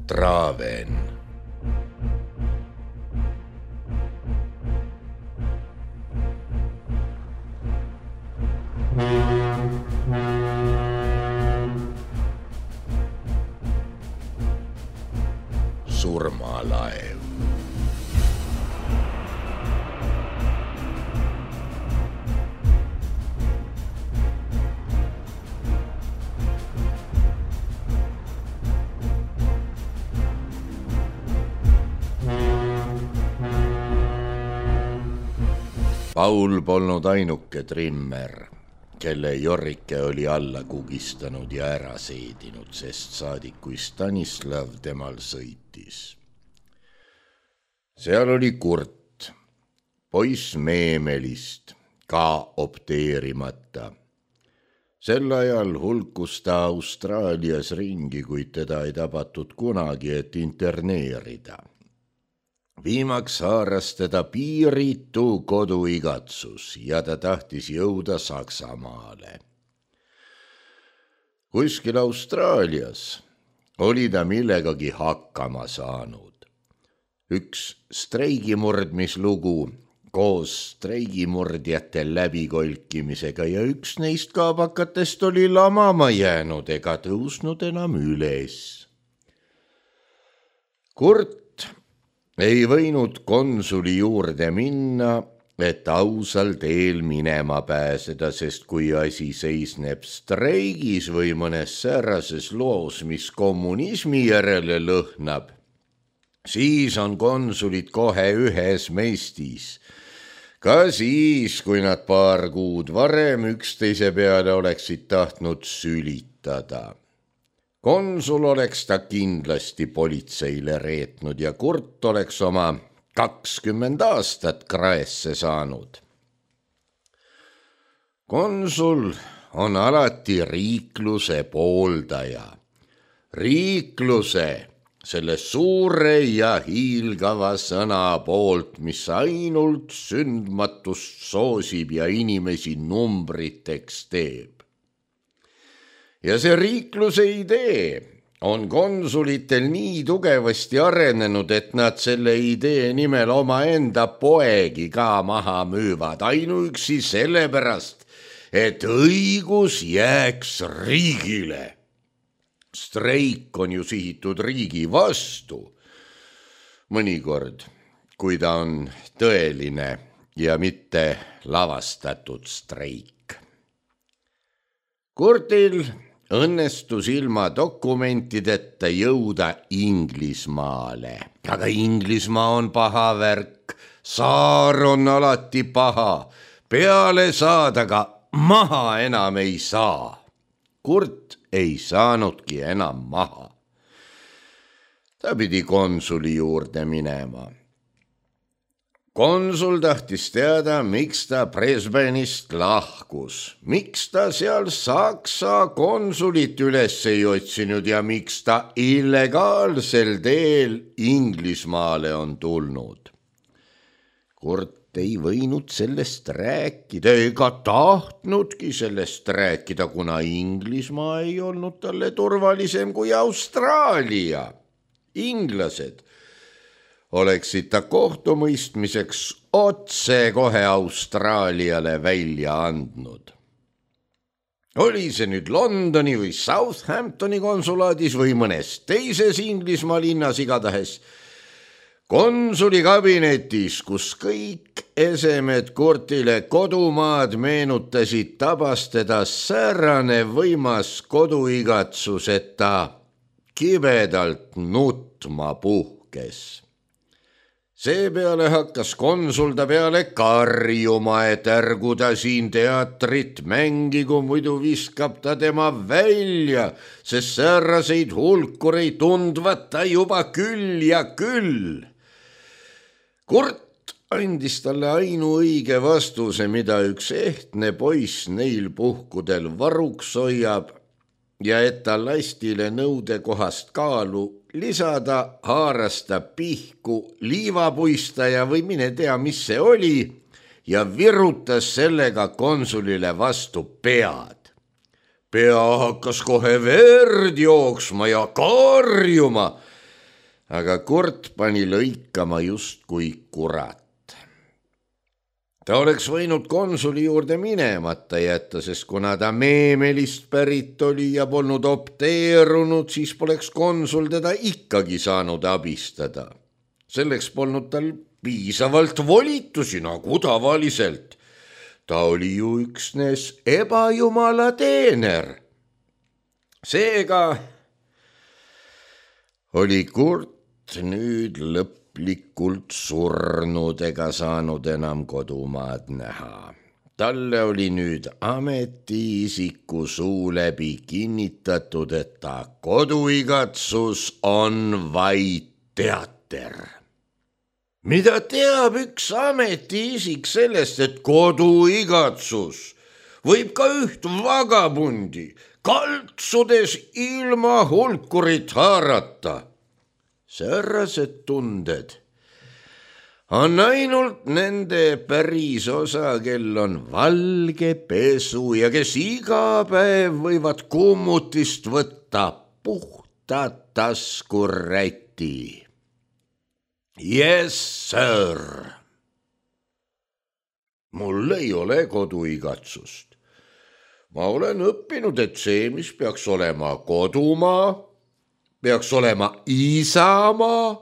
Traven. Surmalaev. Paul polnud ainuke trimmer, kelle Jorrike oli alla kugistanud ja ära seedinud, sest saadik kui Stanislav temal sõitis. Seal oli Kurt, poiss Meemelist, ka opteerimata. Sel ajal hulkus ta Austraalias ringi, kuid teda ei tabatud kunagi, et interneerida. Viimaks haaras teda piiritu koduigatsus ja ta tahtis jõuda Saksamaale. Kuskil Austraalias oli ta millegagi hakkama saanud. Üks streigimurdmislugu koos streigimurdjate läbikolkimisega ja üks neist kaabakatest oli lamama jäänud ega tõusnud enam üles. Kurt ei võinud konsuli juurde minna, et ausal teel minema pääseda, sest kui asi seisneb streigis või mõnes säärases loos, mis kommunismi järele lõhnab, siis on konsulid kohe ühes meistis. Ka siis, kui nad paar kuud varem üksteise peale oleksid tahtnud sülitada. Konsul oleks ta kindlasti politseile reetnud ja Kurt oleks oma 20 aastat kraesse saanud. Konsul on alati riikluse pooldaja. Riikluse, selle suure ja hiilgava sõna poolt, mis ainult sündmatust soosib ja inimesi numbriteks teeb. Ja see riikluse idee on konsulitel nii tugevasti arenenud, et nad selle idee nimel omaenda poegi ka maha müüvad, ainuüksi sellepärast, et õigus jääks riigile. Streik on ju sihitud riigi vastu. Mõnikord, kui ta on tõeline ja mitte lavastatud streik. Kurtil õnnestus ilma dokumentideta jõuda Inglismaale. Aga Inglismaa on paha värk, saar on alati paha, peale saadaga maha enam ei saa. Kurt ei saanudki enam maha. Ta pidi konsuli juurde minema. Konsul tahtis teada, miks ta Brisbane'ist lahkus, miks ta seal Saksa konsulit üles ei otsinud ja miks ta illegaalsel teel Inglismaale on tulnud. Kurt ei võinud sellest rääkida ega tahtnudki sellest rääkida, kuna Inglismaa ei olnud talle turvalisem kui Austraalia. Inglased oleksid ta kohtumõistmiseks otse kohe Austraaliale välja andnud. Oli see nüüd Londoni või Southamptoni konsulaadis või mõnes teises Inglismaa linnas, igatahes konsuli kabinetis, kus kõik esemed Kurtile kodumaad meenutasid, tabas teda säärane võimas koduigatsus, et ta kibedalt nutma puhkes. Seepeale hakkas konsul ta peale karjuma, et ärgu ta siin teatrit mängigu, muidu viskab ta tema välja, sest sääraseid hulkureid tundvat ta juba küll ja küll. Kurt andis talle ainuõige vastuse, mida üks ehtne poiss neil puhkudel varuks hoiab, ja et ta lastile nõudekohast kaalu lisada, haaras ta pihku liivapuistaja või mine tea, mis see oli, ja virutas sellega konsulile vastu pead. Pea hakkas kohe verd jooksma ja karjuma. aga Kurt pani lõikama justkui kurat. Ta oleks võinud konsuli juurde minemata jätta, sest kuna ta Meemelist pärit oli ja polnud opteerunud, siis poleks konsul teda ikkagi saanud abistada. Selleks polnud tal piisavalt volitusi nagu tavaliselt. Ta oli ju üksnes ebajumala teener. Seega oli Kurt nüüd lõplikult surnud ega saanud enam kodumaad näha. Talle oli nüüd ametiisiku suu läbi kinnitatud, et ta koduigatsus on vaid teater. Mida teab üks ametiisik sellest, et koduigatsus võib ka üht vagabundi kaltsudes ilma hulkurit haarata? Säärased tunded on ainult nende päris osa, kel on valge pesu ja kes iga päev võivad kummutist võtta puhta taskuräti. Yes, sir. Mul ei ole koduigatsust. Ma olen õppinud, et see, mis peaks olema kodumaa, peaks olema isamaa,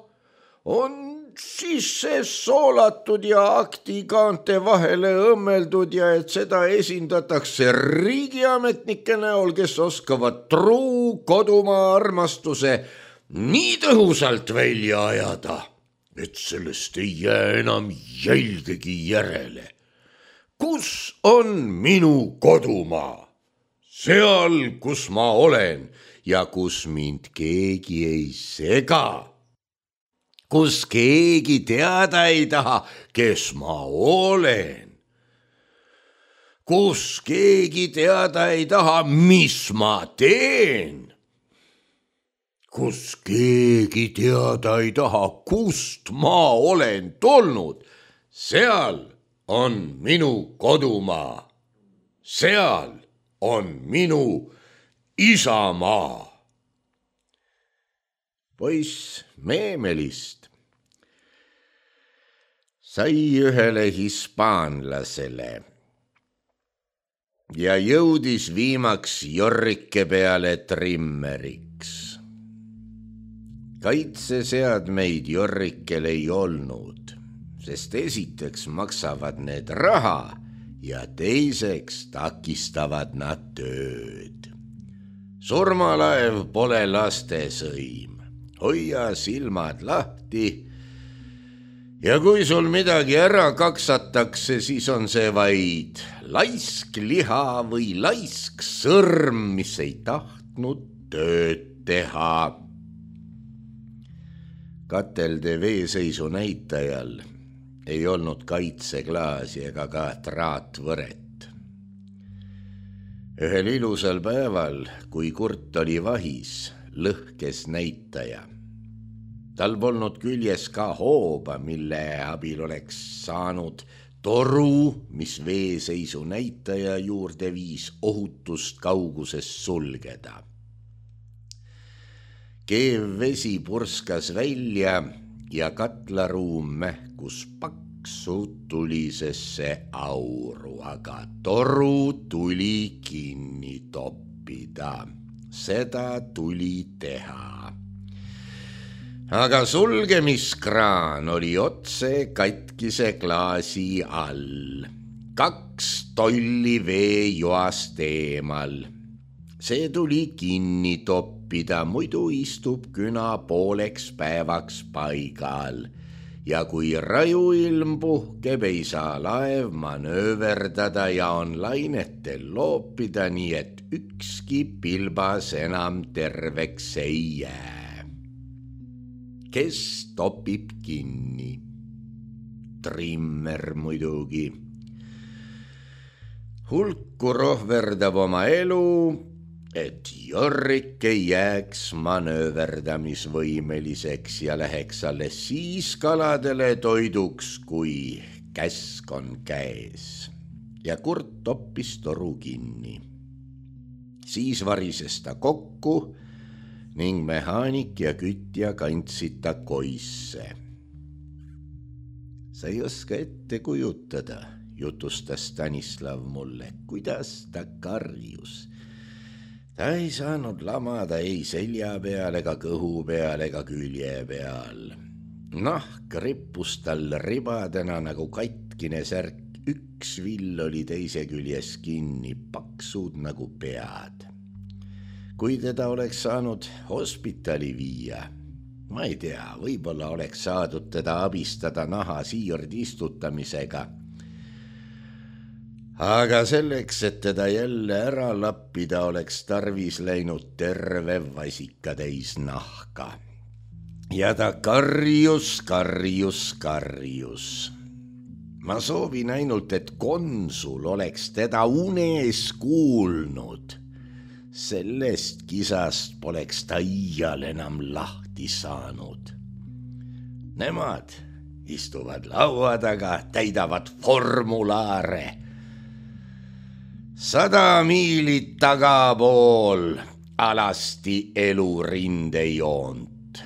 on sisse soolatud ja aktikaante vahele õmmeldud ja et seda esindatakse riigiametnike näol, kes oskavad truu kodumaa armastuse nii tõhusalt välja ajada, et sellest ei jää enam jälgegi järele. Kus on minu kodumaa? Seal, kus ma olen ja kus mind keegi ei sega. Kus keegi teada ei taha, kes ma olen. Kus keegi teada ei taha, mis ma teen. Kus keegi teada ei taha, kust ma olen tulnud, seal on minu kodumaa. Seal on minu isamaa. Poiss Meemelist sai ühele hispaanlasele ja jõudis viimaks Jorrike peale trimmeriks. Kaitseseadmeid Jorrikel ei olnud, sest esiteks maksavad need raha ja teiseks takistavad nad tööd. Surmalaev pole lastesõim, hoia silmad lahti ja kui sul midagi ära kaksatakse, siis on see vaid laisk liha või laisk sõrm, mis ei tahtnud tööd teha. Katelde veeseisu näitajal ei olnud kaitseklaasi ega ka traatvõret. Ühel ilusal päeval, kui Kurt oli vahis, lõhkes näitaja. Tal polnud küljes ka hooba, mille abil oleks saanud toru, mis veeseisu näitaja juurde viis, ohutust kauguses sulgeda. Keev vesi purskas välja ja katlaruum mähkus paksu tulisesse auru, aga toru tuli kinni toppida. Seda tuli teha. Aga sulgemiskraan oli otse katkise klaasi all. 2 tolli veejoast eemal. See tuli kinni toppida, muidu istub küna pooleks päevaks paigal. Ja kui rajuilm puhkeb, ei saa laev manööverdada ja on lainetel loopida, nii et ükski pilbas enam terveks ei jää. Kes topib kinni? Trimmer muidugi. Hulku rohverdab oma elu, et Jorrike jääks manööverdamisvõimeliseks ja läheks alles siis kaladele toiduks, kui käsk on käes. Ja Kurt toppis toru kinni. Siis varises ta kokku, ning mehaanik ja kütja kandsid ta koisse. Sa ei oska ette kujutada, jutustas Stanislav mulle, kuidas ta karjus. Ta ei saanud lamada ei selja peal ega kõhu peal ega külje peal. Nahk rippus tal ribadena nagu katkine särk, üks vill oli teise küljes kinni, paksud nagu pead. Kui teda oleks saanud hospitali viia, ma ei tea, võib-olla oleks saadud teda abistada naha siirdistutamisega. Aga selleks, et teda jälle ära lappida, oleks tarvis läinud terve vasikatäis nahka. Ja ta karjus. Ma soovin ainult, et konsul oleks teda unes kuulnud. Sellest kisast poleks ta iial enam lahti saanud. Nemad istuvad laua taga, täidavad formulaare. 100 miilit tagapool alasti elu rindejoont.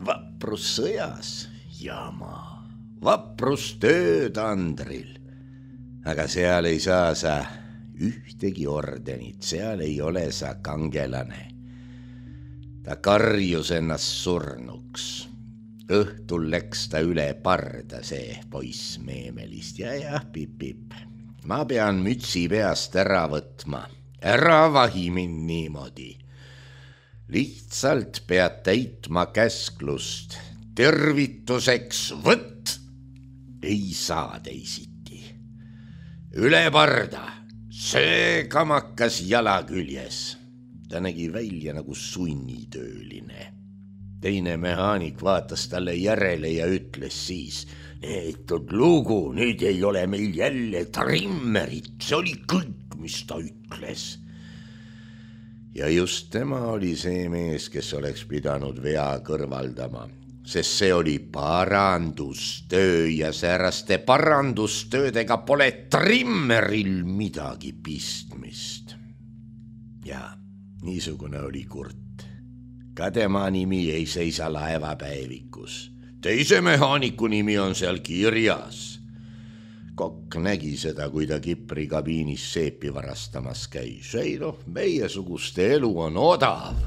Vaprus sõjas jama, vaprus töötandril. Aga seal ei saa sa ühtegi ordenit, seal ei ole sa kangelane. Ta karjus ennast surnuks. Õhtul läks ta üle parda, see poiss Meemelist. Ja, pip. Ma pean mütsi peast ära võtma. Ära vahi mind niimoodi. Lihtsalt pead täitma käsklust. Tervituseks võtt. Ei saa teisiti. Üle parda. See kamakas jala küljes. Ta nägi välja nagu sunnitööline. Teine mehaanik vaatas talle järele ja ütles siis, neetud lugu, nüüd ei ole meil jälle trimmerit. See oli kõik, mis ta ütles. Ja just tema oli see mees, kes oleks pidanud vea kõrvaldama, sest see oli parandustöö ja sääraste parandustöödega pole trimmeril midagi pistmist. Ja niisugune oli Kurt. Ka tema nimi ei seisa laevapäevikus. Teise mehaaniku nimi on seal kirjas. Kokk nägi seda, kui ta Kipri kabiinis seepi varastamas käis. Ei meie suguste elu on odav.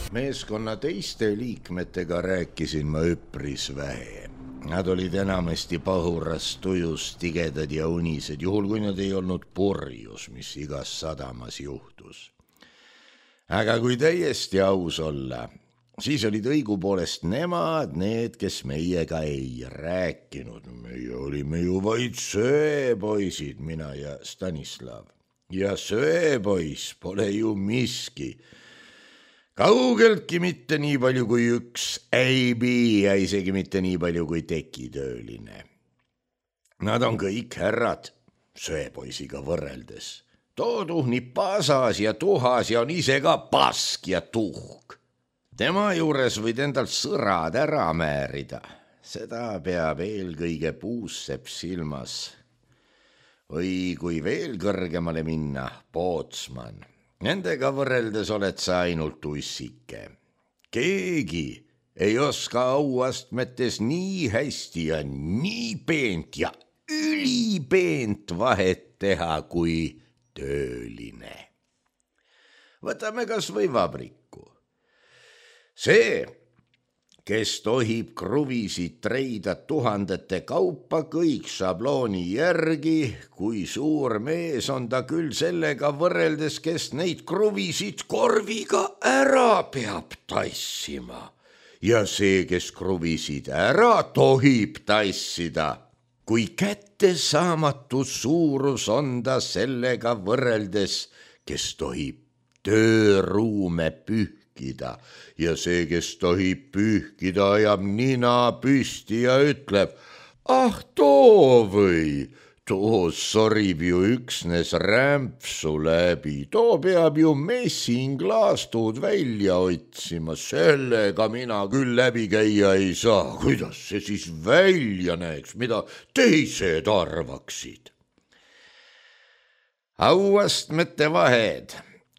Meeskonna teiste liikmetega rääkisin ma üpris vähe. Nad olid enamasti pahuras tujus, tigedad ja unised, juhul kui nad ei olnud purjus, mis igas sadamas juhtus. Aga kui täiesti aus olla, siis olid õigupoolest nemad need, kes meiega ei rääkinud. Meie olime ju vaid söepoisid, mina ja Stanislav. Ja söepoiss pole ju miski. Kaugeltki mitte nii palju kui üks äibi ja isegi mitte nii palju kui tekitööline. Nad on kõik härrad söepoisiga võrreldes. Too tuhnib pasas ja tuhas ja on ise ka pask ja tuhk. Tema juures võid endalt sõrad ära määrida. Seda peab eelkõige puussepp silmas. Või kui veel kõrgemale minna, Pootsman. Nendega võrreldes oled sa ainult ussike. Keegi ei oska auastmetes nii hästi ja nii peent ja ülipeent vahet teha kui tööline. Võtame kas või vabriku. See, kes tohib kruvisid treida tuhandete kaupa, kõik šablooni järgi, kui suur mees on ta küll sellega võrreldes, kes neid kruvisid korviga ära peab tassima. Ja see, kes kruvisid ära tohib tassida, kui kättesaamatu suurus on ta sellega võrreldes, kes tohib tööruume pühkida. Ja see, kes tohib pühkida, ajab nina püsti ja ütleb, ah too või, too sorib ju üksnes rämpsu läbi, too peab ju messinglaastuud välja otsima, sellega mina küll läbi käia ei saa, kuidas see siis välja näeks, mida teised arvaksid. Auastmete vahed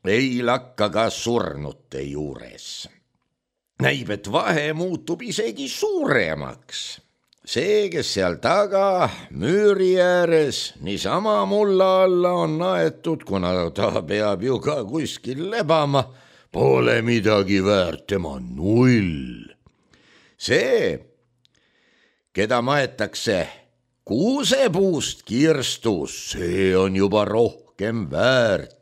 ei lakka ka surnute juures. Näib, et vahe muutub isegi suuremaks. See, kes seal taga müüri ääres niisama mulla alla on aetud, kuna ta peab ju ka kuskil lebama, pole midagi väärt, tema null. See, keda maetakse kuusepuust kirstus, see on juba rohkem väärt.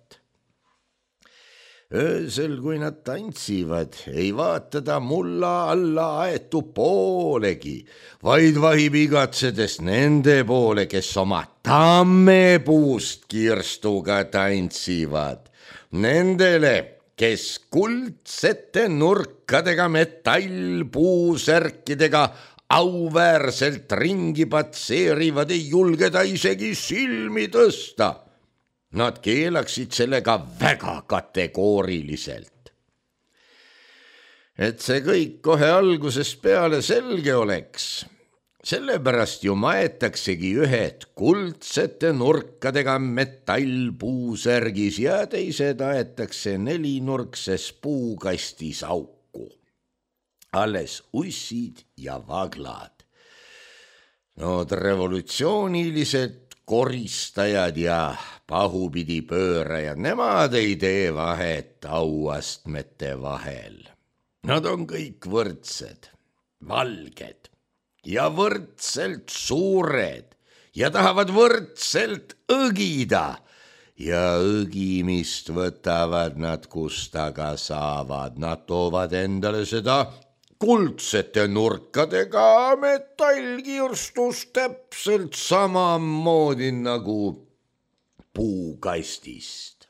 Öösel, kui nad tantsivad, ei vaata ta mulla alla aetu poolegi, vaid vahib igatsedes nende poole, kes oma tammepuust kirstuga tantsivad. Nendele, kes kuldsete nurkadega metallpuusärkidega auväärselt ringi patseerivad, ei julge ta isegi silmi tõsta. Nad keelaksid sellega väga kategooriliselt. Et see kõik kohe algusest peale selge oleks, sellepärast ju maetaksegi ühed kuldsete nurkadega metallpuusärgis ja teised aetakse nelinurkses puukastis auku. Alles ussid ja vaglad. Nood revolutsioonilised koristajad ja pahupidi pöörajad, nemad ei tee vahet auastmete vahel. Nad on kõik võrdsed, valged ja võrdselt suured ja tahavad võrdselt õgida ja õgimist võtavad nad, kust aga saavad. Nad toovad endale seda kuldsete nurkadega metallkirstus täpselt samamoodi nagu puukastist.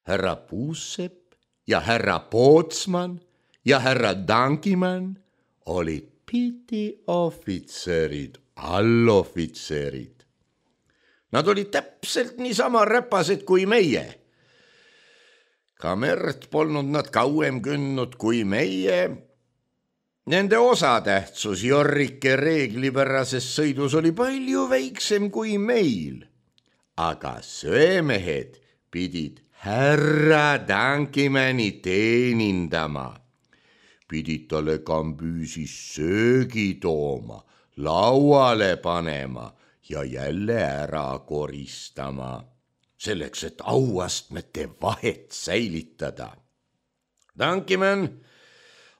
Härra Puusepp ja härra Pootsman ja härra Dankimann olid pitiohvitserid, allohvitserid. Nad olid täpselt niisama räpased kui meie. Ka merd polnud nad kauem kündnud kui meie. Nende osatähtsus Jorrike reeglipärases sõidus oli palju väiksem kui meil. Aga söömehed pidid härra Dankimanni teenindama. Pidid talle kambüüsis söögi tooma, lauale panema ja jälle ära koristama. Selleks, et auastmete vahet säilitada. Dankimann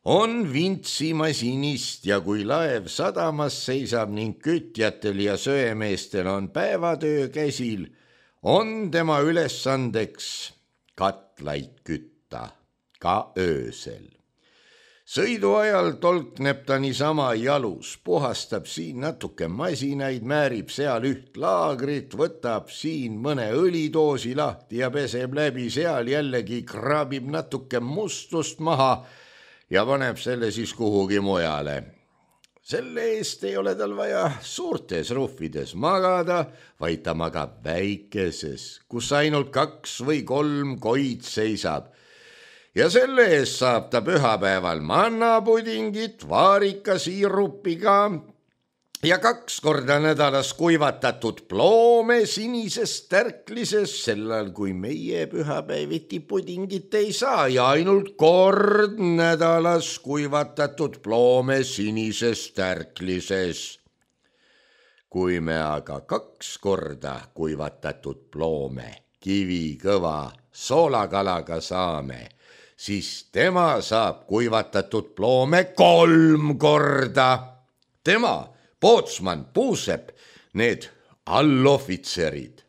on vintsimasinist ja kui laev sadamas seisab ning kütjatel ja söemeestel on päevatöö käsil, on tema ülesandeks katlaid kütta, ka öösel. Sõidu ajal tolkneb ta niisama jalus, puhastab siin natuke masinaid, määrib seal üht laagrit, võtab siin mõne õlidoosi lahti ja peseb läbi, seal jällegi kraabib natuke mustust maha ja paneb selle siis kuhugi mujale. Selle eest ei ole tal vaja suurtes ruhvides magada, vaid ta magab väikeses, kus ainult 2 või 3 koid seisab. Ja selle eest saab ta pühapäeval mannapudingit vaarikasiirupiga ja 2 korda nädalas kuivatatud ploome sinises tärklises, sellal kui meie pühapäeviti pudingit ei saa ja ainult kord nädalas kuivatatud ploome sinises tärklises. Kui me aga 2 korda kuivatatud ploome kivikõva soolakalaga saame, siis tema saab kuivatatud ploome 3 korda. Tema, pootsman, puusepp, need allohvitserid.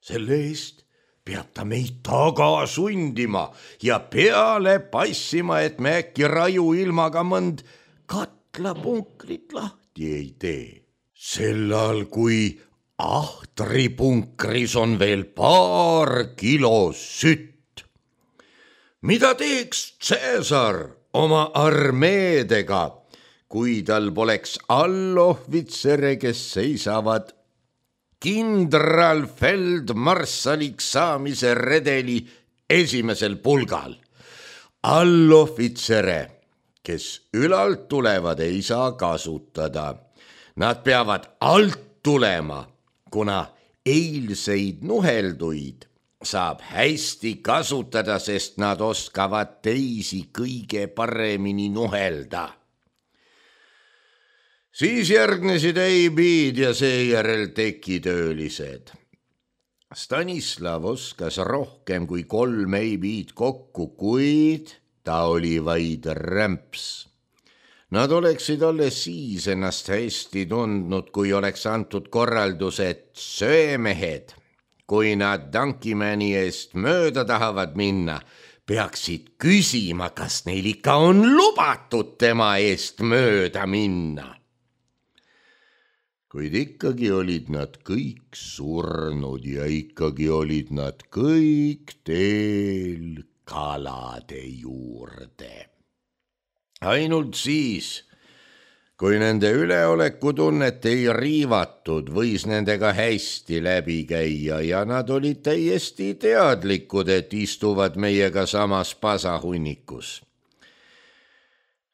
Selle eest peab ta meid taga sundima ja peale passima, et me äkki raju ilmaga mõnd katlapunkrit lahti ei tee. Sellal, kui ahtripunkris on veel paar kilo sütt. Mida teeks Caesar oma armeedega, kui tal poleks allohvitsere, kes seisavad kindralfeldmarssaliks saamise redeli esimesel pulgal? Allohvitsere, kes ülalt tulevad, ei saa kasutada. Nad peavad alt tulema, kuna eilseid nuhelduid saab hästi kasutada, sest nad oskavad teisi kõige paremini nuhelda. Siis järgnesid eibid ja seejärel tekitöölised. Stanislav oskas rohkem kui 3 eibid kokku, kuid ta oli vaid rämps. Nad oleksid alles siis ennast hästi tundnud, kui oleks antud korraldus, et söemehed, kui nad Tankimani eest mööda tahavad minna, peaksid küsima, kas neil ikka on lubatud tema eest mööda minna. Kuid ikkagi olid nad kõik surnud ja ikkagi olid nad kõik teel kalade juurde. Ainult siis, kui nende üleolekutunnet ei riivatud, võis nendega hästi läbi käia ja nad olid täiesti teadlikud, et istuvad meiega samas pasahunnikus.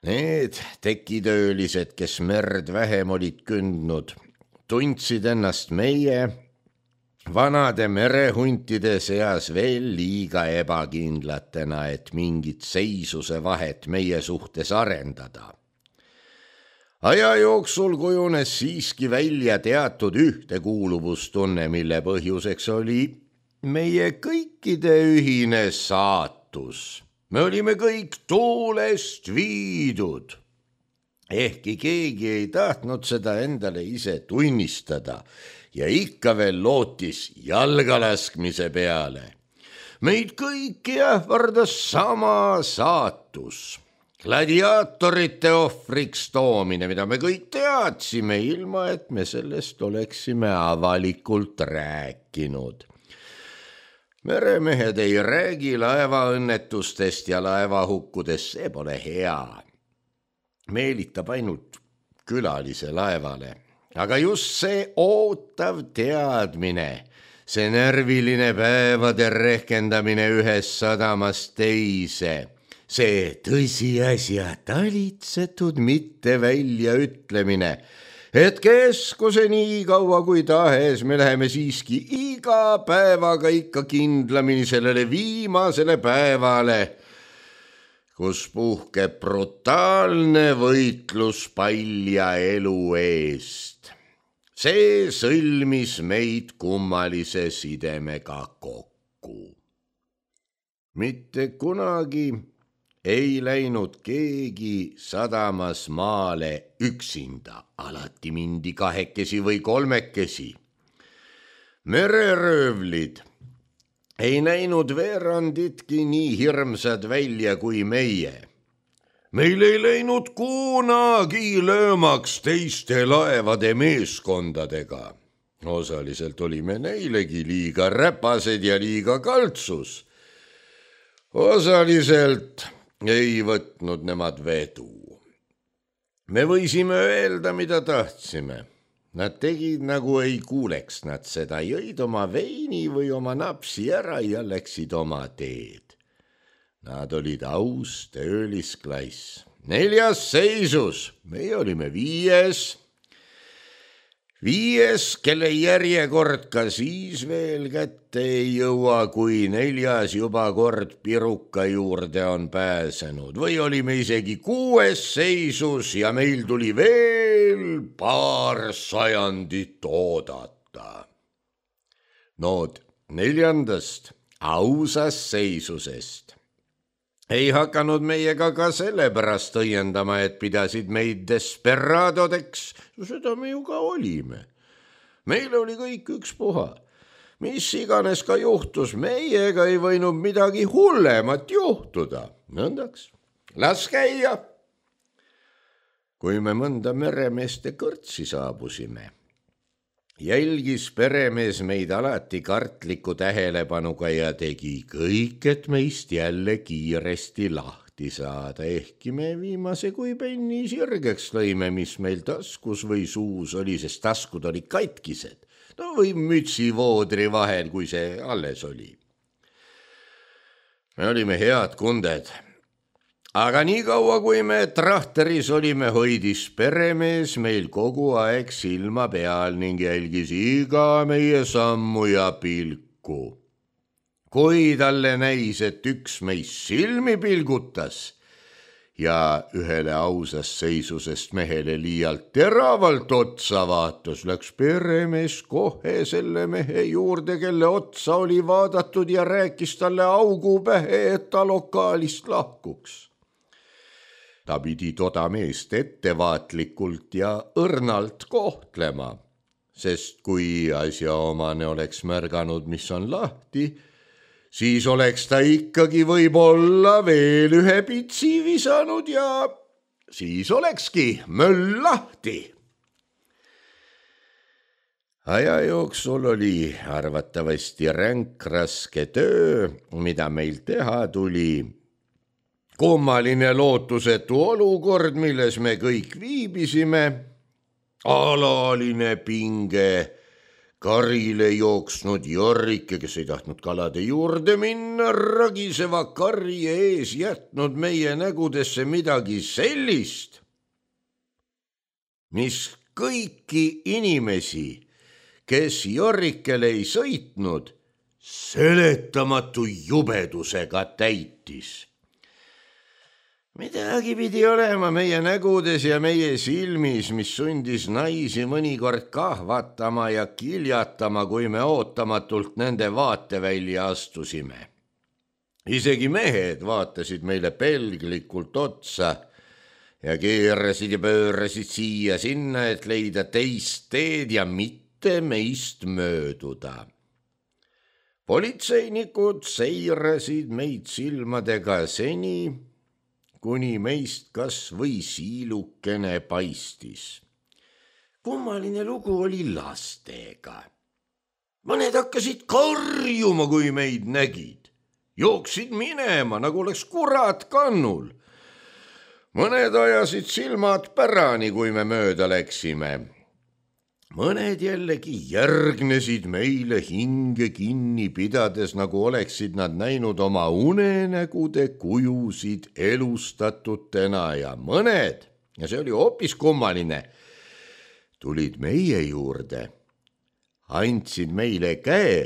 Need tekitöölised, kes merd vähem olid kündnud, tundsid ennast meie vanade merehuntide seas veel liiga ebakindlatena, et mingit seisuse vahet meie suhtes arendada. Aja jooksul kujunes siiski välja teatud ühtekuuluvustunne, mille põhjuseks oli meie kõikide ühine saatus. Me olime kõik tuulest viidud. Ehkki keegi ei tahtnud seda endale ise tunnistada ja ikka veel lootis jalgalaskmise peale. Meid kõiki ähvardas sama saatus. Gladiaatorite ohvriks toomine, mida me kõik teadsime, ilma et me sellest oleksime avalikult rääkinud. Meremehed ei räägi laevaõnnetustest ja laevahukkudest, see pole hea. Meelitab ainult külalise laevale. Aga just see ootav teadmine, see närviline päevade rehkendamine ühest sadamast teise, see tõsiasja talitsetud mitte väljaütlemine, et keskuse nii kaua kui tahes me läheme siiski iga päevaga ikka kindlamini sellele viimasele päevale, kus puhkeb brutaalne võitlus palja elu eest. See sõlmis meid kummalise sidemega kokku. Mitte kunagi ei läinud keegi sadamas maale üksinda, alati mindi 2 või 3. Mereröövlid ei näinud veeranditki nii hirmsad välja kui meie. Meil ei läinud kunagi löömaks teiste laevade meeskondadega. Osaliselt olime neilegi liiga räpased ja liiga kaltsus. Osaliselt ei võtnud nemad vedu. Me võisime öelda, mida tahtsime. Nad tegid nagu ei kuuleks nad seda, jõid oma veini või oma napsi ära ja läksid oma teed. Nad olid aus töölisklass. 4. seisus, meie olime 5., kelle järjekord ka siis veel kätte ei jõua, kui 4. juba kord piruka juurde on pääsenud. Või olime isegi 6. seisus ja meil tuli veel paar sajandit oodata. Nood 4. ausast seisusest ei hakanud meiega ka sellepärast õiendama, et pidasid meid desperadodeks, seda me ju ka olime. Meil oli kõik ükspuha. Mis iganes ka juhtus, meiega ei võinud midagi hullemat juhtuda. Nõndaks, las käia. Kui me mõnda meremeeste kõrtsi saabusime, jälgis peremees meid alati kartliku tähelepanuga ja tegi kõik, et meist jälle kiiresti lahti saada, ehkki me viimase kui penni sirgeks lõime, mis meil taskus või suus oli, sest taskud olid katkised, no või mütsivoodri vahel, kui see alles oli. Me olime head kunded. Aga nii kaua, kui me trahteris olime, hoidis peremees meil kogu aeg silma peal ning jälgis iga meie sammu ja pilku. Kui talle näis, et üks meist silmi pilgutas ja ühele ausast seisusest mehele liialt teravalt otsa vaatas, läks peremees kohe selle mehe juurde, kelle otsa oli vaadatud ja rääkis talle augu pähe, et ta lokaalist lahkuks. Ta pidi toda meest ettevaatlikult ja õrnalt kohtlema, sest kui asjaomane oleks märganud, mis on lahti, siis oleks ta ikkagi võib-olla veel ühe pitsi visanud ja siis olekski möll lahti. Aja jooksul oli arvatavasti ränk raske töö, mida meil teha tuli. Kummaline lootusetu olukord, milles me kõik viibisime, alaline pinge, karile jooksnud Jorrike, kes ei tahtnud kalade juurde minna, ragiseva karje ees jätnud meie nägudesse midagi sellist, mis kõiki inimesi, kes Jorrikele ei sõitnud, seletamatu jubedusega täitis. Midagi pidi olema meie nägudes ja meie silmis, mis sundis naisi mõnikord kahvatama ja kiljatama, kui me ootamatult nende vaatevälja astusime. Isegi mehed vaatasid meile pelglikult otsa ja keerasid ja pöörasid siia sinna, et leida teist teed ja mitte meist mööduda. Politseinikud seirasid meid silmadega seni, kuni meist kas või siilukene paistis. Kummaline lugu oli lastega. Mõned hakkasid karjuma, kui meid nägid. Jooksid minema, nagu oleks kurat kannul. Mõned ajasid silmad pärani, kui me mööda läksime. Mõned jällegi järgnesid meile hinge kinni pidades, nagu oleksid nad näinud oma unenägude kujusid elustatutena ja mõned, ja see oli hoopis kummaline, tulid meie juurde, andsid meile käe,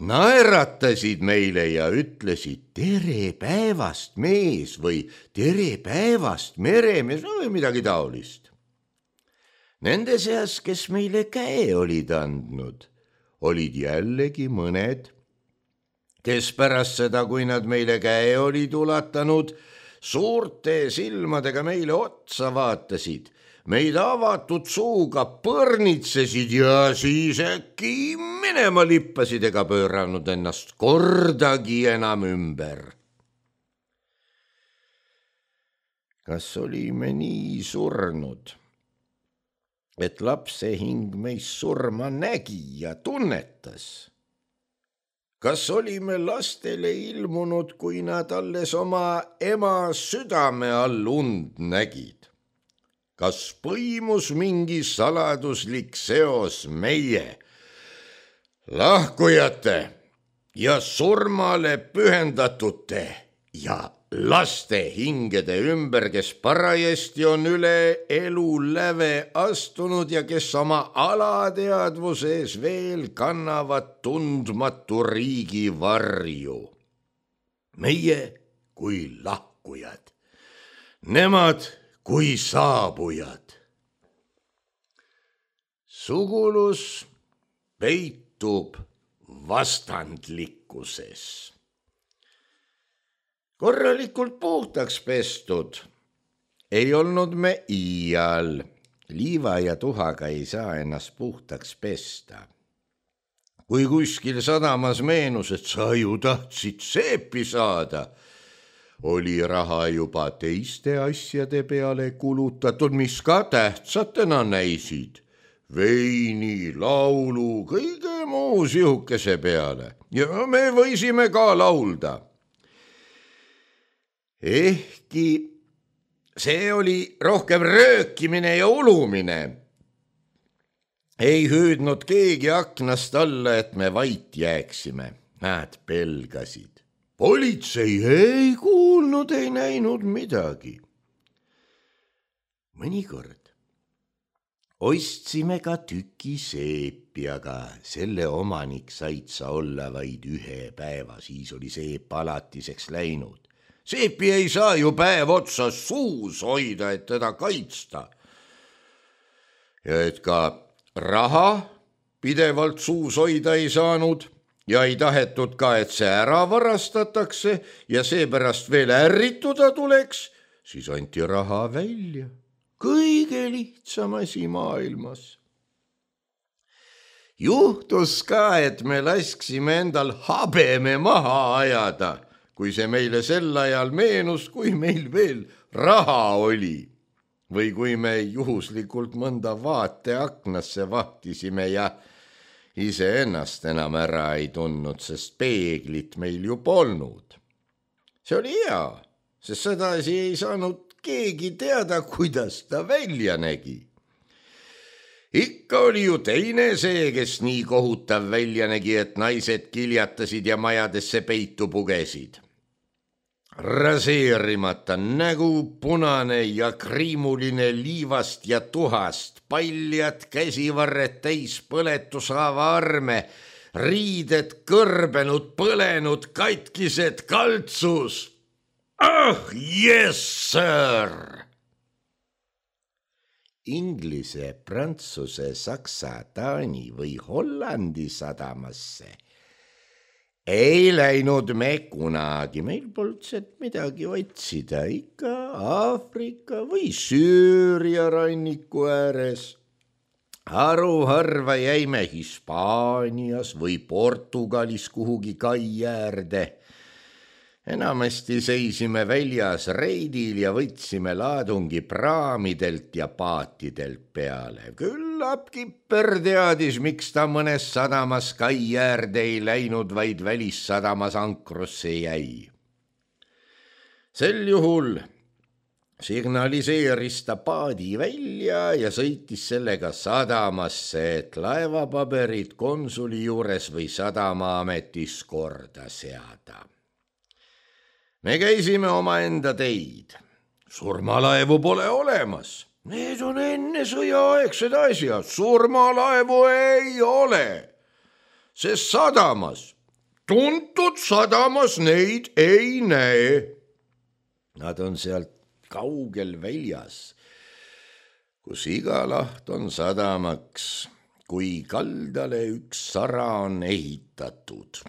naeratasid meile ja ütlesid tere päevast mees või tere päevast meremees või midagi taolist. Nende seas, kes meile käe olid andnud, olid jällegi mõned, kes pärast seda, kui nad meile käe olid ulatanud, suurte silmadega meile otsa vaatasid, meid avatud suuga põrnitsesid ja siis äkki minema lippasid ega pööranud ennast kordagi enam ümber. Kas olime nii surnud, et lapse hing meist surma nägi ja tunnetas? Kas olime lastele ilmunud, kui nad alles oma ema südame all und nägid? Kas põimus mingi saladuslik seos meie, lahkujate ja surmale pühendatute ja laste hingede ümber, kes parajasti on üle elu läve astunud ja kes oma alateadvuse ees veel kannavad tundmatu riigi varju? Meie kui lahkujad, nemad kui saabujad. Sugulus peitub vastandlikkuses. korralikult puhtaks pestud. Ei olnud me iial. Liiva ja tuhaga ei saa ennast puhtaks pesta. Kui kuskil sadamas meenus, et sa ju tahtsid seepi saada, oli raha juba teiste asjade peale kulutatud, mis ka tähtsatena näisid. Veini, laulu, kõige muu sihukese peale. Ja me võisime ka laulda. Ehkki see oli rohkem röökimine ja ulumine. Ei hüüdnud keegi aknast alla, et me vait jääksime. Nad pelgasid. Politsei ei kuulnud, ei näinud midagi. Mõnikord ostsime ka tüki seepi, aga selle omanik said sa olla vaid 1 päeva, siis oli seep alatiseks läinud. Seepi ei saa ju päev otsa suus hoida, et teda kaitsta. Ja et ka raha pidevalt suus hoida ei saanud ja ei tahetud ka, et see ära varastatakse ja seepärast veel ärrituda tuleks, siis anti raha välja. Kõige lihtsam asi maailmas. Juhtus ka, et me lasksime endal habeme maha ajada, kui see meile sel ajal meenus, kui meil veel raha oli. Või kui me juhuslikult mõnda vaateaknasse vahtisime ja iseennast enam ära ei tundnud, sest peeglit meil ju polnud. See oli hea, sest sedasi ei saanud keegi teada, kuidas ta välja nägi. Ikka oli ju teine see, kes nii kohutav välja nägi, et naised kiljatasid ja majadesse peitu pugesid. Raseerimata nägu, punane ja kriimuline liivast ja tuhast, paljad käsivarred täis põletushaava arme, riided kõrbenud, põlenud, katkised, kaltsus. Yes, sir! Inglise, Prantsuse, Saksa, Taani või Hollandi sadamasse ei läinud me kunagi, meil polnud sealt midagi otsida, ikka Aafrika või Süüria ranniku ääres. Haruharva jäime Hispaanias või Portugalis kuhugi kai äärde. Enamasti seisime väljas reidil ja võtsime laadungi praamidelt ja paatidelt peale. Küllap Kipper teadis, miks ta mõnes sadamas kai äärde ei läinud, vaid välissadamas ankrusse jäi. Sel juhul signaliseeris ta paadi välja ja sõitis sellega sadamasse, et laevapaberid konsuli juures või sadamaametis korda seada. Me käisime omaenda teid. Surmalaevu pole olemas. Need on enne sõjaaegsed asjad. Surmalaevu ei ole. Sest sadamas, tuntud sadamas neid ei näe. Nad on sealt kaugel väljas, kus iga laht on sadamaks, kui kaldale üks sara on ehitatud.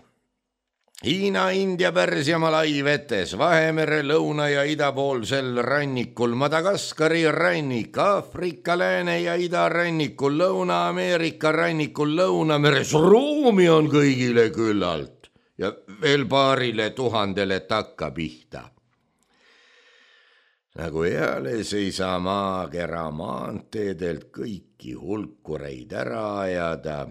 Hiina, India, Pärsia, Malai vetes, Vahemere lõuna- ja idapoolsel rannikul, Madagaskari rannik, Aafrika lääne- ja idarannikul, Lõuna-Ameerika rannikul, Lõunameres ruumi on kõigile küllalt ja veel 2,000 takkapihta. Nagu eales ei saa maakera maanteedelt kõiki hulkureid ära ajada,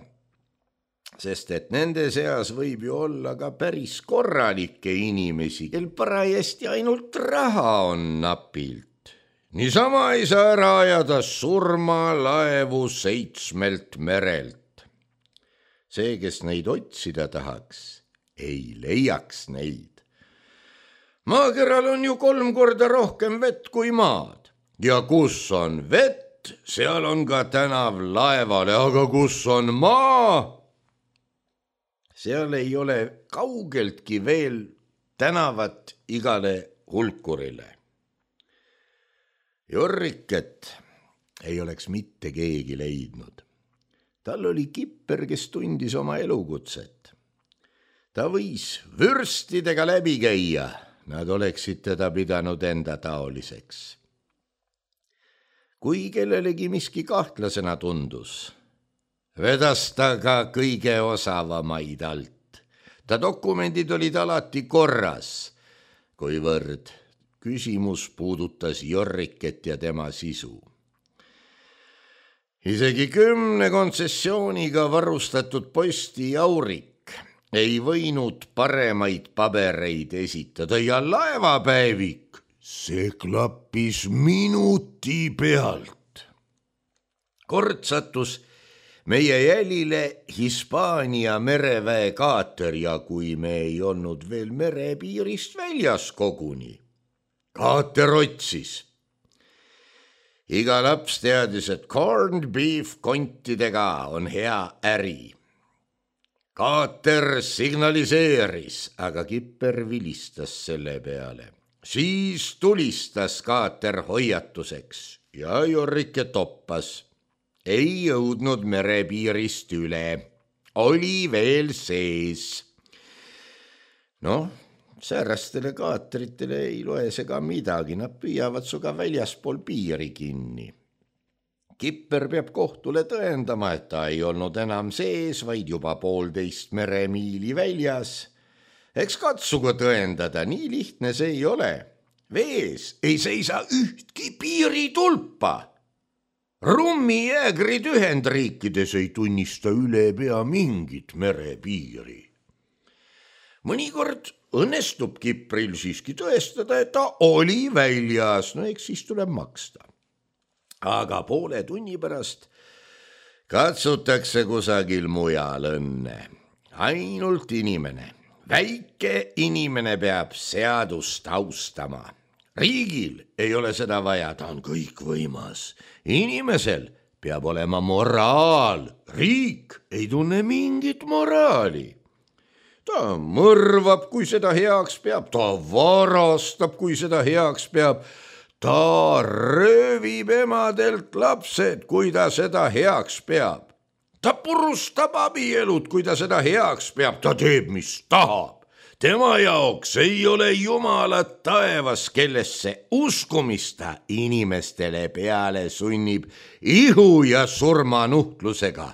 sest et nende seas võib ju olla ka päris korralikke inimesi, kel parajasti ainult raha on napilt. Niisama ei saa ära ajada surmalaevu 7 merelt. See, kes neid otsida tahaks, ei leiaks neid. Maakeral on ju 3 korda rohkem vett kui maad. Ja kus on vett, seal on ka tänav laevale, aga kus on maa? Seal ei ole kaugeltki veel tänavat igale hulkurile. Jorriket ei oleks mitte keegi leidnud. Tal oli Kipper, kes tundis oma elukutset. Ta võis vürstidega läbi käia, nad oleksid teda pidanud enda taoliseks. Kui kellelegi miski kahtlasena tundus, vedas ta ka kõige osavamaid alt. Ta dokumendid olid alati korras, kuivõrd küsimus puudutas Jorriket ja tema sisu. Isegi 10 kontsessiooniga varustatud posti Jaurik ei võinud paremaid pabereid esitada ja laevapäevik, see klappis minuti pealt. Kord sattus meie jälile Hispaania mereväe kaater ja kui me ei olnud veel merepiirist väljas koguni. Kaater otsis. Iga laps teadis, et corned beef kontidega on hea äri. Kaater signaliseeris, aga kipper vilistas selle peale. Siis tulistas kaater hoiatuseks ja Jorrike toppas. Ei jõudnud merepiirist üle. Oli veel sees. Säärastele kaatritele ei loe see ka midagi, nad püüavad suga väljaspool piiri kinni. Kipper peab kohtule tõendama, et ta ei olnud enam sees, vaid juba 1,5 meremiili väljas. Eks katsugu tõendada, nii lihtne see ei ole. Vees ei seisa ühtki piiritulpa. Rummijäägrid Ühendriikides ei tunnista üle pea mingit merepiiri. Mõnikord õnnestub kipril siiski tõestada, et ta oli väljas, eks siis tuleb maksta. Aga poole tunni pärast katsutakse kusagil mujal õnne. Ainult inimene, väike inimene peab seadust austama. Riigil ei ole seda vaja, ta on kõikvõimas. Inimesel peab olema moraal, riik ei tunne mingit moraali. Ta mõrvab, kui seda heaks peab, ta varastab, kui seda heaks peab, ta röövib emadelt lapsed, kui ta seda heaks peab. Ta purustab abielud, kui ta seda heaks peab, ta teeb, mis tahab. Tema jaoks ei ole Jumalat taevas, kellesse uskumista inimestele peale sunnib ihu ja surmanuhtlusega.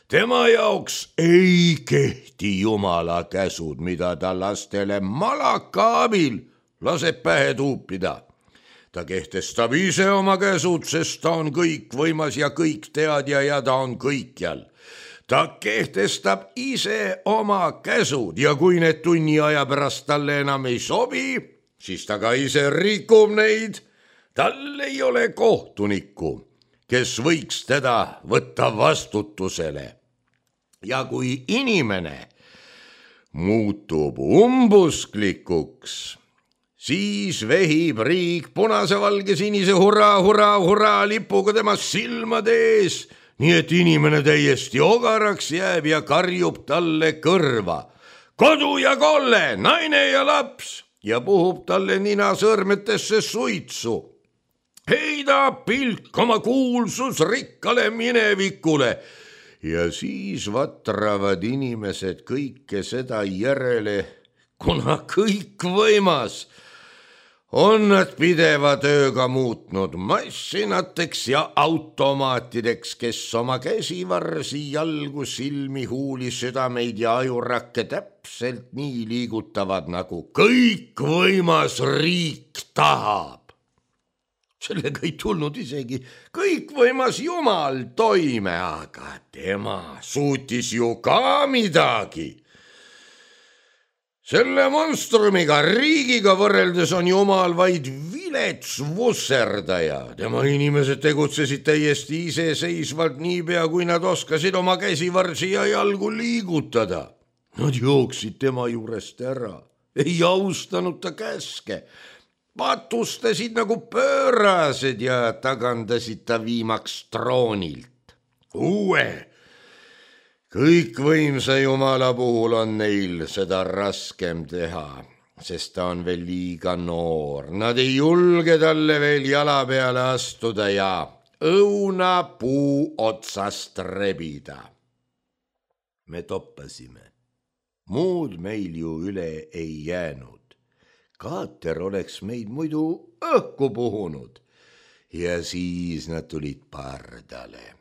Tema jaoks ei kehti Jumala käsud, mida ta lastele malaka abil laseb pähe tuupida. Ta kehtestab ise oma käsud, sest ta on kõikvõimas ja kõikteadja ja ta on kõikjal. Ta kehtestab ise oma käsud ja kui need tunni aja pärast talle enam ei sobi, siis ta ka ise rikub neid. Tal ei ole kohtunikku, kes võiks teda võtta vastutusele. Ja kui inimene muutub umbusklikuks, siis vehib riik punase, valge, sinise hurraa, hurraa, hurraa lipuga tema silmade ees, nii et inimene täiesti ogaraks jääb ja karjub talle kõrva. Kodu ja kolle, naine ja laps ja puhub talle nina sõrmetesse suitsu. Heida pilk oma kuulsus rikkale minevikule ja siis vatravad inimesed kõike seda järele, kuna kõikvõimas on nad pideva tööga muutnud massinateks ja automaatideks, kes oma käsivarsi, jalgu, silmi, huuli, südameid ja ajurakke täpselt nii liigutavad, nagu kõikvõimas riik tahab. Sellega ei tulnud isegi kõikvõimas Jumal toime, aga tema suutis ju ka midagi. Selle monstrumiga, riigiga võrreldes on Jumal vaid vilets vusserdaja. Tema inimesed tegutsesid täiesti iseseisvalt niipea, kui nad oskasid oma käsivarsi ja jalgu liigutada. Nad jooksid tema juurest ära, ei austanud ta käske, patustasid nagu pöörased ja tagandasid ta viimaks troonilt. Uue, kõikvõimsa Jumala puhul on neil seda raskem teha, sest ta on veel liiga noor. Nad ei julge talle veel jala peale astuda ja õunapuu otsast rebida. Me toppasime. Muud meil ju üle ei jäänud. Kaater oleks meid muidu õhku puhunud ja siis nad tulid pardale.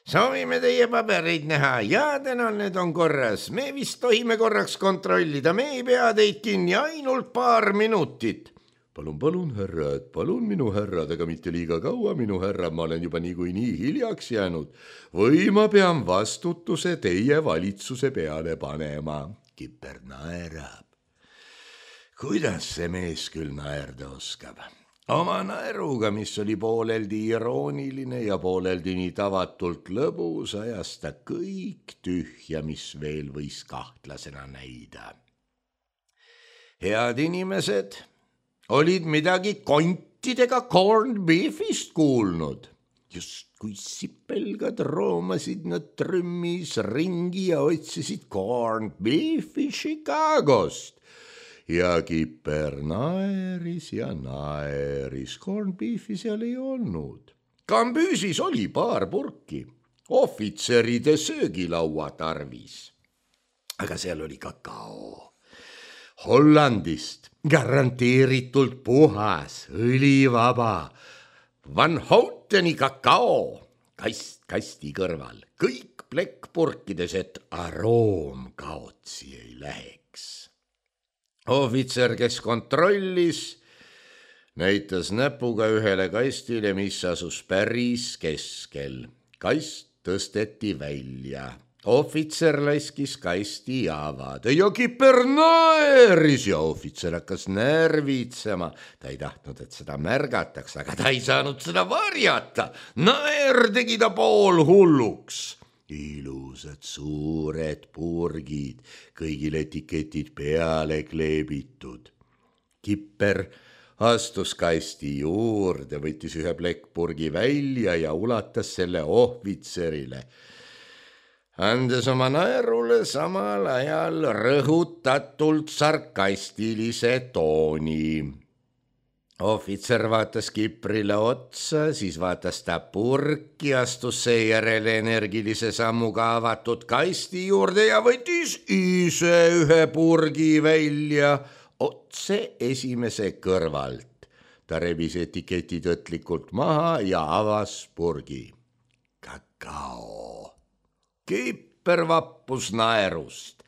Soovime teie pabereid näha ja tänan, need on korras. Me vist tohime korraks kontrollida, me ei pea teid kinni ainult paar minutit. Palun, härrad, palun minu härrad, aga mitte liiga kaua, minu härrad, ma olen juba niikuinii hiljaks jäänud. Või ma pean vastutuse teie valitsuse peale panema. Kipper naerab. Kuidas see mees küll naerda oskab? Oma naeruga, mis oli pooleldi irooniline ja pooleldi nii tavatult lõbus, ajas ta kõik tühja, mis veel võis kahtlasena näida. Head inimesed olid midagi kontidega corned beefist kuulnud. Just kui sipelgad roomasid nad trümmis ringi ja otsisid corned beefi Chicagost. Ja Kipper naeris ja naeris, corned beefi seal ei olnud. Kambüüsis oli paar purki, ohvitseride söögilaua tarvis. Aga seal oli kakao. Hollandist, garanteeritult puhas, õlivaba. Van Houteni kakao, kasti kõrval, kõik plekkpurkides, et aroom kaotsi ei läheks. Ohvitser, kes kontrollis, näitas näpuga ühele kastile, mis asus päris keskel. Kast tõsteti välja. Ohvitser laskis kasti avada ja Kipper naeris ja ohvitser hakkas närvitsema. Ta ei tahtnud, et seda märgataks, aga ta ei saanud seda varjata. Naer tegi ta pool hulluks. Ilusad suured purgid, kõigil etiketid peale kleebitud. Kipper astus kasti juurde, võttis ühe plekkpurgi välja ja ulatas selle ohvitserile, andes oma naerule samal ajal rõhutatult sarkastilise tooni. Ohvitser vaatas Kiprile otsa, siis vaatas ta purki, astus seejärel energilise sammuga avatud kasti juurde ja võttis ise ühe purgi välja otse esimese kõrvalt. Ta rebis etiketid õtlikult maha ja avas purgi. Kakao. Kipper vappus naerust.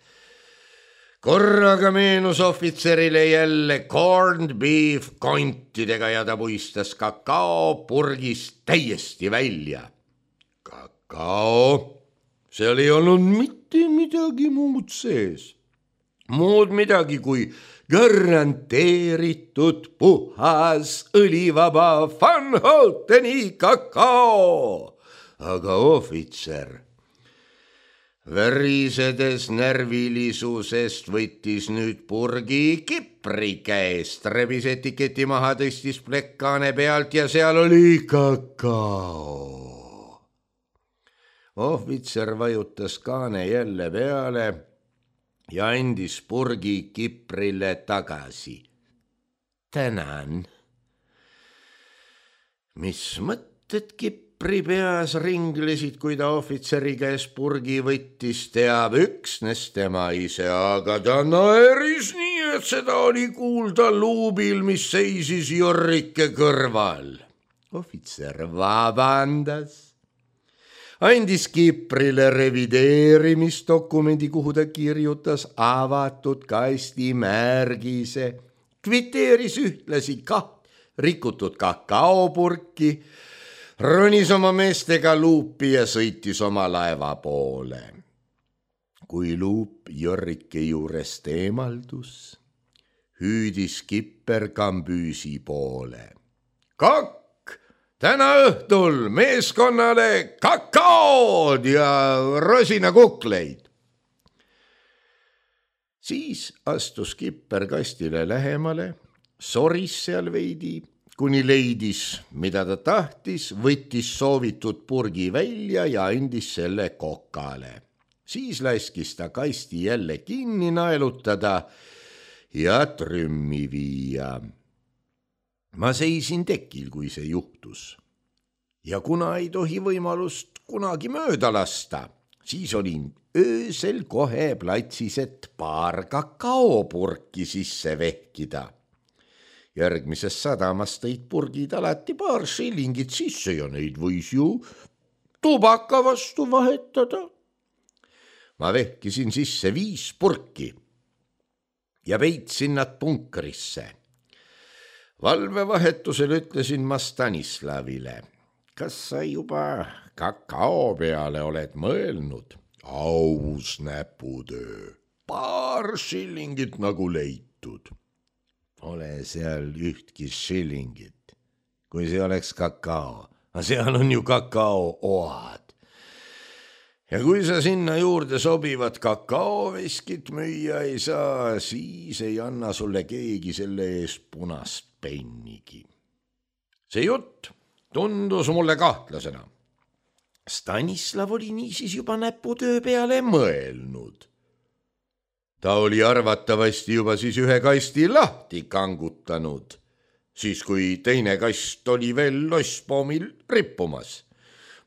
Korraga meenus ohvitserile jälle corned beef kontidega ja ta puistas kakao purgist täiesti välja. Kakao, seal ei olnud mitte midagi muud sees. Muud midagi kui garanteeritud puhas õlivaba Van Houteni kakao. Aga ohvitser värisedes närvilisusest võttis nüüd purgi Kipri käest, rebis etiketi maha, tõstis plekkaane pealt ja seal oli kakao. Ohvitser vajutas kaane jälle peale ja andis purgi Kiprile tagasi. Tänan. Mis mõtted Kipri peas ringlesid, kui ta ohvitseri käes purgi võttis, teab üksnes tema ise, aga ta naeris nii, et seda oli kuulda luubil, mis seisis Jorrike kõrval. Ohvitser vabandas, andis Kiprile revideerimisdokumendi, kuhu ta kirjutas avatud kasti märgise, kviteeris ühtlasi rikutud kakaopurki, ronis oma meestega luupi ja sõitis oma laeva poole. Kui luup Jorrike juurest eemaldus, hüüdis Kipper Kambüüsi poole. Kakk, täna õhtul meeskonnale kakaod ja rosinakukleid. Siis astus Kipper kastile lähemale, soris seal veidi, kuni leidis, mida ta tahtis, võttis soovitud purgi välja ja andis selle kokale. Siis laskis ta kasti jälle kinni naelutada ja trümmi viia. Ma seisin tekil, kui see juhtus. Ja kuna ei tohi võimalust kunagi mööda lasta, siis olin öösel kohe platsis, et paar kakaopurki sisse vehkida. Järgmises sadamas tõid purgid alati paar shillingit sisse ja neid võis ju tubaka vastu vahetada. Ma vehkisin sisse 5 purki ja peitsin nad punkrisse. Valvevahetusel ütlesin ma Stanislavile, kas sa juba kakao peale oled mõelnud? Aus näputöö, 2 shillingit nagu leitud. Pole seal ühtki shillingit, kui see oleks kakao. Seal on ju kakaooad. Ja kui sa sinna juurde sobivat kakaoveskit müüa ei saa, siis ei anna sulle keegi selle eest punast pennigi. See jutt tundus mulle kahtlasena. Stanislav oli niisiis juba näputöö peale mõelnud. Ta oli arvatavasti juba siis 1 kasti lahti kangutanud, siis kui teine kast oli veel losspoomil rippumas.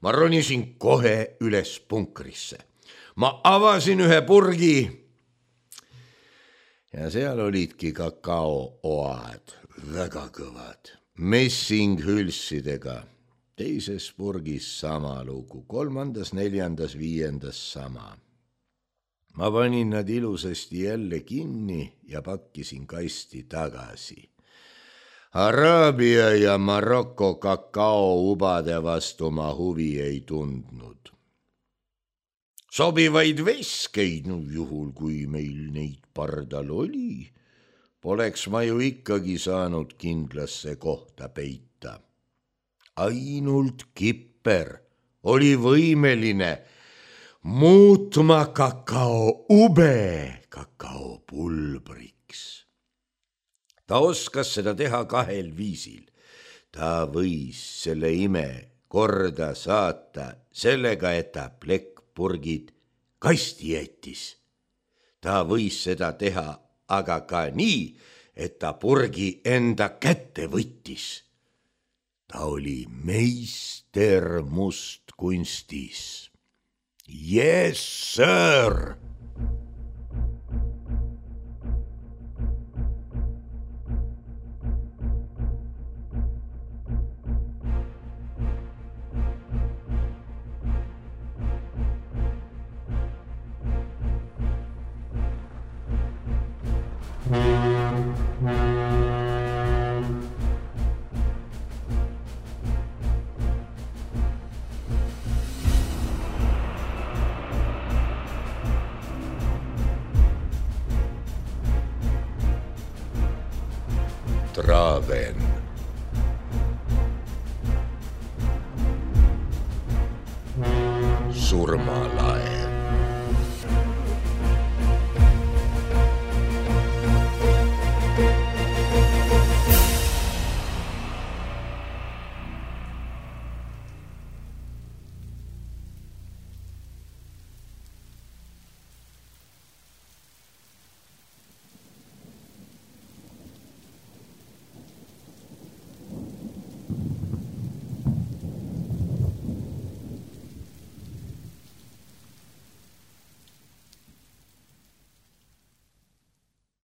Ma ronisin kohe üles punkrisse. Ma avasin 1 purgi ja seal olidki kakaooad, väga kõvad, messinghülsidega. Teises purgis sama lugu, 3., 4., 5. sama. Ma panin nad ilusasti jälle kinni ja pakkisin kasti tagasi. Araabia ja Maroko kakaoubade vastu ma huvi ei tundnud. Sobivaid veskeid, juhul kui meil neid pardal oli, poleks ma ju ikkagi saanud kindlasse kohta peita. Ainult Kipper oli võimeline muutma kakaoube kakaopulbriks. Ta oskas seda teha 2 viisil. Ta võis selle ime korda saata sellega, et ta plekkpurgid kasti jättis. Ta võis seda teha aga ka nii, et ta purgi enda kätte võttis. Ta oli meister mustkunstis. Yes, sir! Traven. Surmala.